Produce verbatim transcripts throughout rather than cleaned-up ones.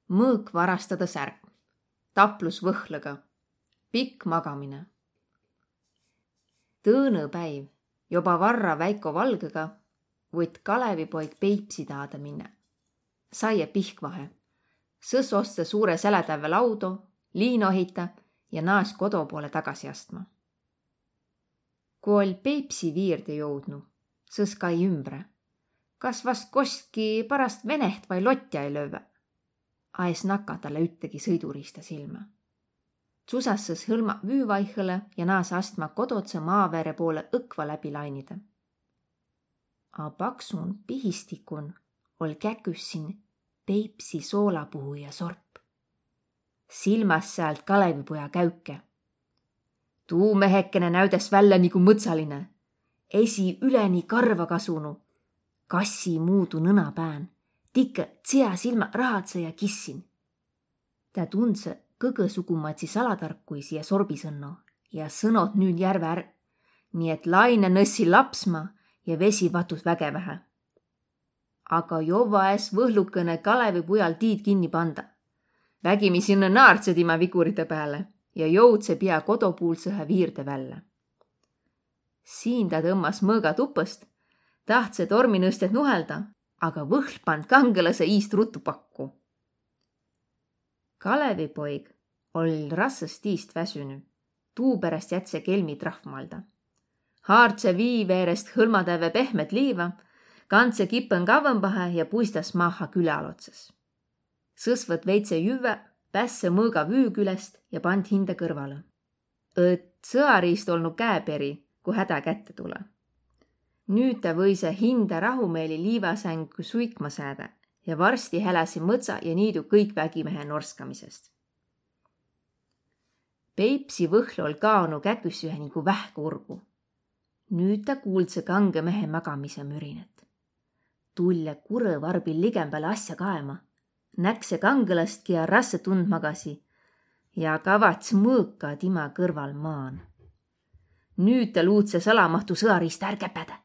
Mõõk varastadõ särk. Taplus võhlõga. Pikk magamine. Tõõnõ päiv, joba varra väiko valgõga, võit Kalevipoig Peipsi taadõ minna. Saie pihkvahe. Sõs ostsõ suure selätävve laudo, liinohita ja naas kodo poole tagasi astma. Ku oll Peipsi viirde jõudnu, sõs kai ümbre. Kas vast kostki parast veneht vai lotja ei lövvä? A es naka talle üttegi sõiduriista silmä. Tsusas sõs hõlma vüü vaihõle ja naas astma kododsõ maavere poole õkva läbi lainide. A paksun pihistikun oll käküssin Peipsi soolapuhuja sorp. Silmäs säält Kalevipoja käüke. Tuu mehekene näüdäs vällä nigu mõtsaline. Esi üleni karva kasunu, kassi muudu nõna pään, tikõ tsia silmä rahadsõ ja kissin. Tä tundsõ kõgõsugumadsi salatarkuisi ja sorbisõnno ja sõnot nüül järve är, nii et laine nössi lapsma ja vesi vatus vägevähe. Aga jovva es Võhlukõne Kalevi pujal tiid kinni panda. Vägimi sinnä naardsõ timä viguride pääle ja jõudsõ pia kodopuulsõhe viirde vällä. Siin ta tõmmas mõõga tupõst, tahtsõ tormi nõstet nuhelda, aga Võhl pand kangõlasõ iist rutu pakku. Kalevipoig oll rassõst tiist väsünü, tuuperäst jätse kelmi trahvmalda. Haardse vii veerest hõlmatävve pehmet liiva, kandse kipõn kavvõmbahe ja puistas maaha küläalotsas. Sõs võt veidse jüvvä, pässe mõõga vüü külest ja pand hindä kõrvalõ. Õt sõariist olnu käeperi, ku hädä kätte tulõ. Nüüt tä võise hindä rahumeeli liivasängü suikma säädä ja varsti häläsi mõtsa ja niidu kõik vägimehe norskamisest. Peipsi Võhl oll kaonu käküsühe nigu vähk urgu. Nüüt tä kuuldsõ kangõ mehe magamise mürinet. Tulle kurõ varbil ligembäle asja kaema. Näkse kangõlastki ja rassõ tundmagasi ja kavats mõõka tima kõrval maan. Nüüt tä luudse salamahtu sõariista är käpädä.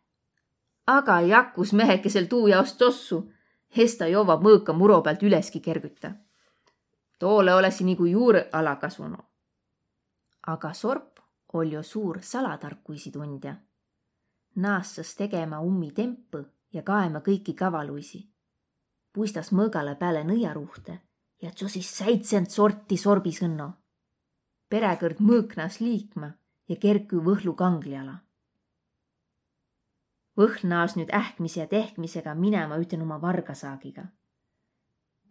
Aga jakkus mehekesel tuu jaos tossu, hesta jovva mõõka muro päält üleski kergütä. Toole olesi nigu juurõ ala kasunu. Aga sorp oll jo suur salatarkuisi tundja. Naassas tegema ummi tempõ ja kaema kõiki kavaluisi. Puistas mõõgalõ pääle nõiaruhte ja tsosis säitsent sorti sorbisõnno. Peräkõrd mõõk naas liikma ja kerkü Võhlu kangli ala. Võhl naas nüüt ähkmise ja tehkmisega minema üten uma vargasaagiga.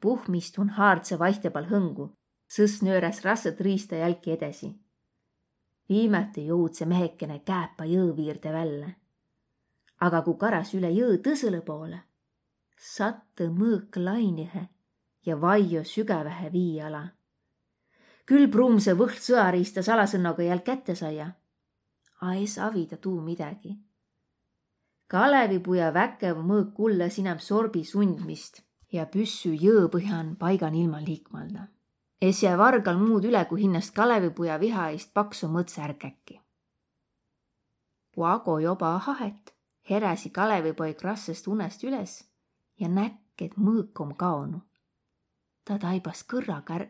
Puhmistun haardse vaihtepal hõngu, sõs nööräs rassõt riista jälki edesi. Viimäte jõudse mehekene Kääpa jõõ viirde vällä. Aga ku karas üle jõõ tõsõlõ poole, sattõ mõõk lainihe ja vaijjo sügävähe vii ala. Kül pruumse Võhl sõariista salasõnnoga jälk kätte saia, a es avida tuu midägi. Kalevipuja väkev mõõk kullõ es inäm sorbi sundmist ja püssü jõõ põhjan paigan ilma liikmalda. Es jää vargal muud üle, ku hinnäst Kalevipuja viha iist pakso mõtsa är käkki. Ku ago joba ahet, heräsi Kalevipoig rassõst unest üles ja näkk, et mõõk om kaonu. Ta taibas kõrraga är,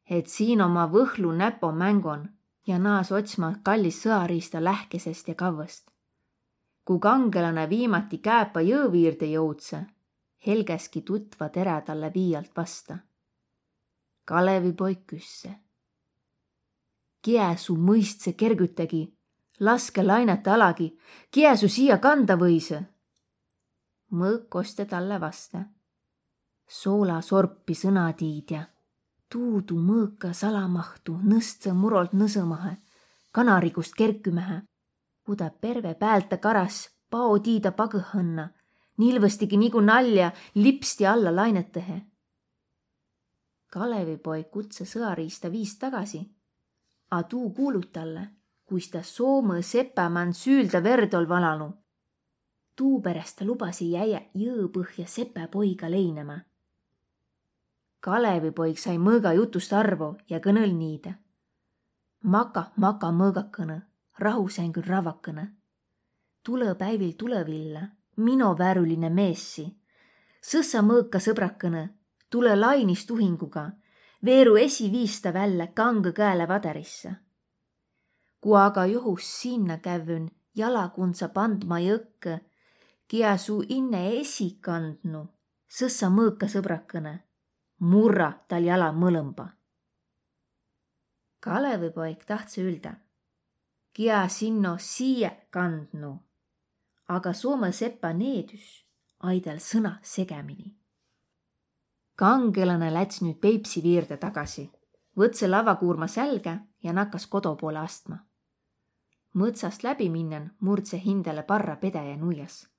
et siin om Võhlu näpo mängon, ja naas otsma kallis sõariista lähkesest ja kavvõst. Ku kangõlanõ viimati Kääpa jõõ viirde jõudsõ, helgäski tutva terä talle vii alt vasta. Kalevipoig küsse: Kiä su mõistsõ kergütägi? Laskõ lainat alagi, kiä su siia kanda võisõ? Mõõk kostte talle vasta: Soola sorpi, sõnatiidja. Tuudu mõõka salamahtu nõstsõ murolt nõsõmahe, kanarigust kerkümähe. Ku ta perve päält karas, pao tiida pagõhõnna, nilvõstigi nigu nalja, lipsti alla lainatõhe. Kalevipoig kutsõ sõariista viist tagasi, a tuu kuulut talle, kuis ta Soomõ sepä man süüldä verd oll valanu. Tuuperäst ta lubasi jäiä jõõ põhja sepä poiga leinämä. Kalevipoig sai mõõga jutust arvo ja kõnõl niidä: Maka, maka, mõõgakõnõ, rahusängün ravvakõnõ. Tulõ päivil tulõ villä, mino värüline meessi. Sõssa mõõka, sõbrakõnõ, Tulõ lainis tuhinguga, veeru esi viista vällä kangõ käele vadarisse. Ku aga johus sinna kävvün jalakundsa pandma jõkkõ, kiä su inne esi kandnu, sõssa mõõka sõbrakõne, murra tal jala mõlõmba. Kalevipoig tahtsõ üldä, kiä sinno siie kandnu, aga Soomõ sepa needüs ai tal sõna segamini. Kangõlanõ läts nüüt Peipsi viirde tagasi, võtsõ lavvakuurma sälgä ja nakkas kodo poolõ astma. Mõtsast läbi minnen murdse hindäle parra pedäjä nuias,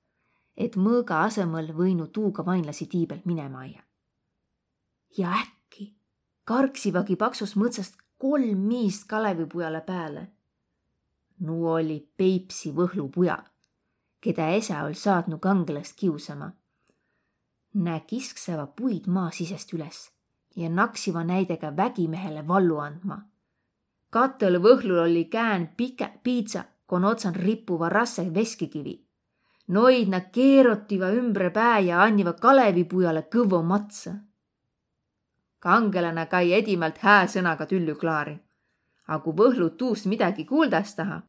et mõõga asõmõl võinu tuuga vainlasi tii pealt minema aia. Ja äkki karksivagi paksus mõtsast kolm miist Kalevipujale pääle. Nu olli Peipsi Võhlu puja, kedä esä oll saatnu kangõlast kiusama. Nä kiskseva puid maa sisest üles ja naksiva näidega vägimehele vallu andma. Katõl Võhlul olli käen pikä piidsa, kon otsan ripuva rasse veskikivi. Noid nä keerotiva ümbre pää ja anniva Kalevipujale kõvvo matsõ. Kangõlanõ kai edimält hää sõnaga tüllü klaari. A ku Võhlu tuust midägi kuuldas taha,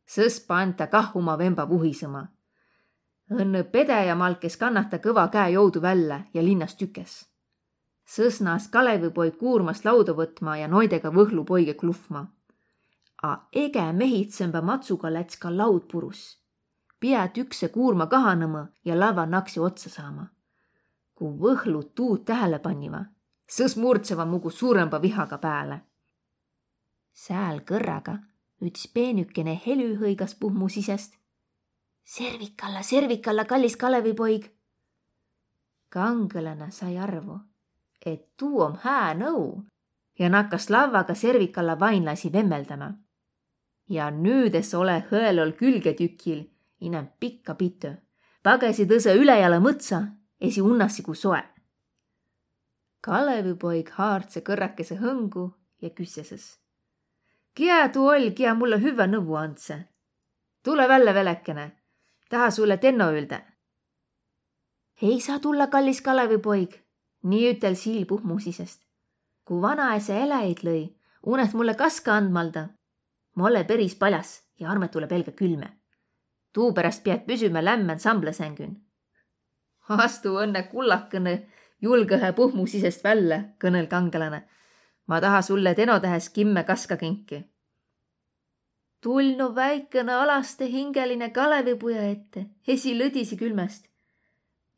sõs pand ta kah uma vemba vuhisõma. Õnnõ pedäjä malkes kannat ta kõva käe joudu vällä ja linnas tükes. Sõs naas Kalevipoig kuurmast lauda võtma ja noidega Võhlu poige klufma. A egä mehitsembä matsuga läts ka laud purus. Piä tükse kuurma kahanõmõ ja lavva naksi otsa saama. Ku Võhlu tuud tähele panniva, sõs murdseva mugu suurõmba vihaga pääle. Sääl kõrraga üts peenükene helü hõigas puhmu sisest: Servikalla, servikalla, kallis Kalevipoig! Kangõlanõ sai arvo, et tuu om hää nõu, ja nakkas lavvaga servikalla vainlasi vemmeldämä. Ja nüüdes ole hõelol külgetükil inämb pikka pitö. Pagesi tõsõ ülejala mõtsa, esi unnasi ku soe. Kalevipoig haardse kõrrakese hõngu ja küsse sõs: Kiä tuu oll, kiä mullõ hüvvä nõvvu andse? Tulõ vällä, velekene, taha sulle tenno üldä. Ei saa tulla, kallis Kalevipoig, nii ütel siil puhmu sisest. Ku vanaesä eläjit lõi, unet mulle kaska andmalda. Ma ole peris paljas ja armet tulõ pelgä külmä. Tuuperäst piät püsümä lämmän samblõsängün. Astu õnne kullakõnõ julgõhe puhmu sisest vällä, kõnõl kangõlanõ. Ma taha sulle tenotähes kimmä kaska kinki. Tulnu väikõnõ alaste hingeline Kalevipuja ette, esi lõdisi külmäst.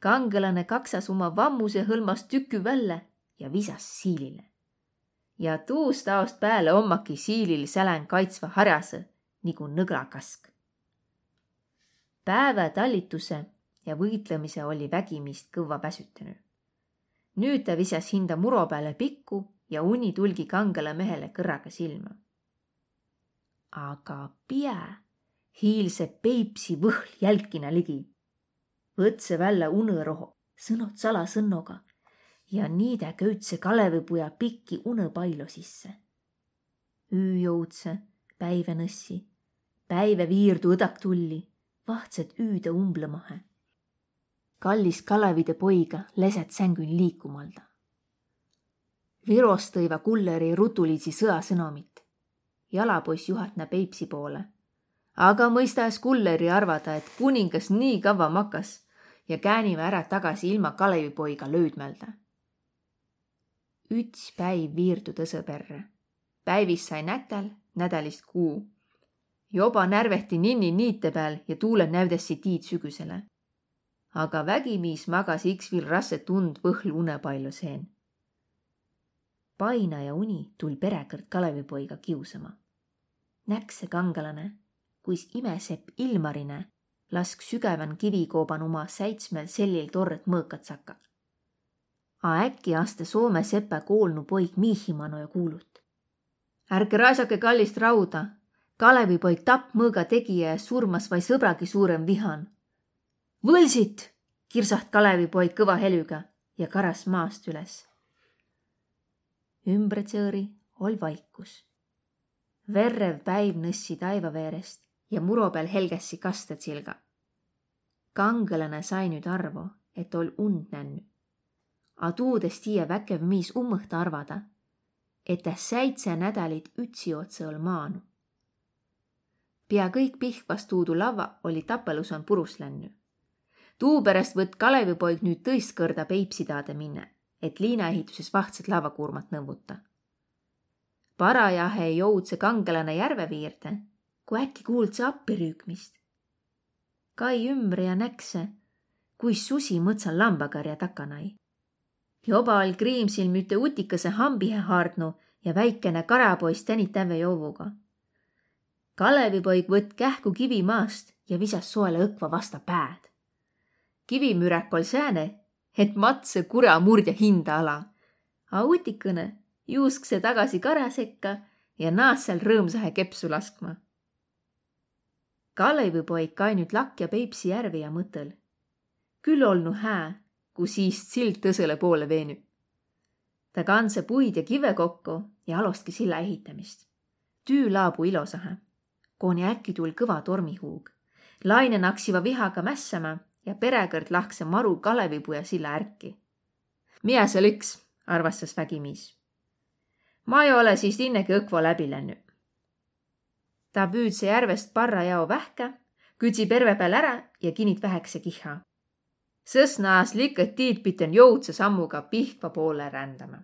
Kangõlanõ kaksas uma vammuse hõlmast tükü vällä ja visas siilile. Ja tuust aost pääle ommaki siilil sälän kaitsva harjasõ nigu nõglakask. Päävä tallituse ja võitlõmise olli vägimiist kõvva väsütänü. Nüüt tä visas hinda muro pääle pikku ja uni tulgi kangõla mehele kõrraga silmä. Aga piä hiilse Peipsi Võhl jälkinä ligi. Võtsõ vällä unõ roho, sõnot salasõnnoga ja niidä köüdse Kalevipuja pikki unõ pailo sisse. Üü joudsõ, päivä nõssi, päivä viirdu õdak tulli, vahtsõt üüde umblõmahe. Kallis Kalevide poiga lesät sängün liikumalda. Virostõiva kullõri rutulidsi sõasõnomit. Jalapoiss juhatnä Peipsi poole. Aga mõista es kullõri arvada, et kuningas nii kavva makas, ja kääniva ärä tagasi ilma Kalevipoiga löüdmäldä. Üts päiv viirdu tõsõ perrä. Päivist sai nätäl, nädälist kuu. Joba närvehti ninni niite pääl ja tuulõ näüdässi tiid sügüsele. Aga vägimiis magas iks viil rasse tund Võhl unepailo seen. Painaja uni tull peräkõrd Kalevipoiga kiusama. Näkse kangõlanõ, kuis imesepp Ilmarine lask sügävän kivikooban uma säitsmel sellil torrõt mõõkat sakka. A äkki aste Soome sepä koolnu poig miihi mano ja kuulut: Ärke raisake kallist rauda! Kalevipoig tapp mõõga tegijä ja surmas vai sõbragi suuren vihan. Võlsit! Kirsaht Kalevipoig kõva helüga ja karas maast üles. Ümbretsõõri oll vaikus. Verrev päiv nõssi taiva veerest ja muro pääl helgässi kastõ tsilga. Kangõlanõ sai nüüt arvo, et oll und nännü. A tuud es tiiä väkev miis ummõht arvada, et tä säidse nädälit ütsiotsa oll' maanu. Pia kõik Pihkvas tuudu lavva olli tappelusan purus lännü. Tuuperäst võtt' Kalevipoig nüüt tõist kõrda Peipsidaade minne, et liinaehitüses vahtsõt lavvakuurmat nõvvuta. Parajahe jovdse kangelanõ järve viirde, ku äkki kuuldsõ appi rüükmist. Kai ümbre ja näkse, kuis susi mõtsan lambakarja takanai. Joba oll' Griimsil müüte utikase hambihe haardnu ja väikene karapoiss tänitävve jovvuga. Kalevipoig võtt' kähku kivi maast ja visas soele õkva vasta pääd. Kivimüräk oll' sääne, et matsõ kura murdja hinda ala. A utikõnõ juuskse tagasi kara sekka ja naas' sääl rõõmsahe kepsu laskma. Kalevipoig kai nüüt lakja Peipsi järve ja mõtõl': Kül olnu hää, ku siist sild tõsõlõ poolõ veenü. Tä kandsõ puid ja kivve kokko ja alostki silla ehitämist. Tüü laabu ilosahe, koni äkki tull' kõva tormihuug. Laine naksiva vihaga mässämä ja peräkõrd lahkse maru Kalevipuja silla ärki. Miä sääl iks, arvassas vägi miis. Ma ei ole siist innegi õkva läbi lännü. Ta püüdse järvest parra jao vähkä, küdsi perve pääl ärä ja kinit vähäkese kihha. Sõs naas' likõt tiid piten jovdse sammuga Pihkva poolõ rändämä.